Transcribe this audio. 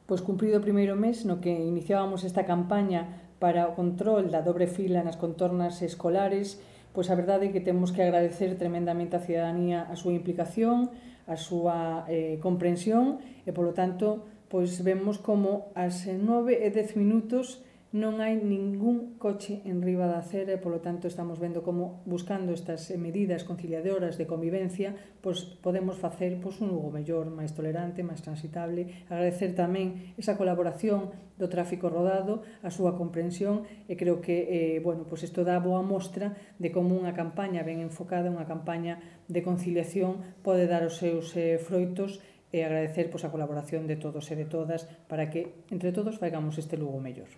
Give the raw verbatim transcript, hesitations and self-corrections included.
pois cumprido o primeiro mes no que iniciábamos esta campaña para o control da dobre fila nas contornas escolares, pois a verdade é que temos que agradecer tremendamente á cidadanía a súa implicación, a súa eh, comprensión e, polo tanto, pois vemos como ás nove e dez minutos non hai ningún coche en riba da acera e, polo tanto, estamos vendo como, buscando estas medidas conciliadoras de convivencia, pois podemos facer pois, un Lugo mellor, máis tolerante, máis transitable. Agradecer tamén esa colaboración do tráfico rodado, a súa comprensión, e creo que eh, bueno, pois isto dá boa mostra de como unha campaña ben enfocada, unha campaña de conciliación, pode dar os seus eh, froitos, e agradecer pois, a colaboración de todos e de todas para que, entre todos, faigamos este Lugo mellor.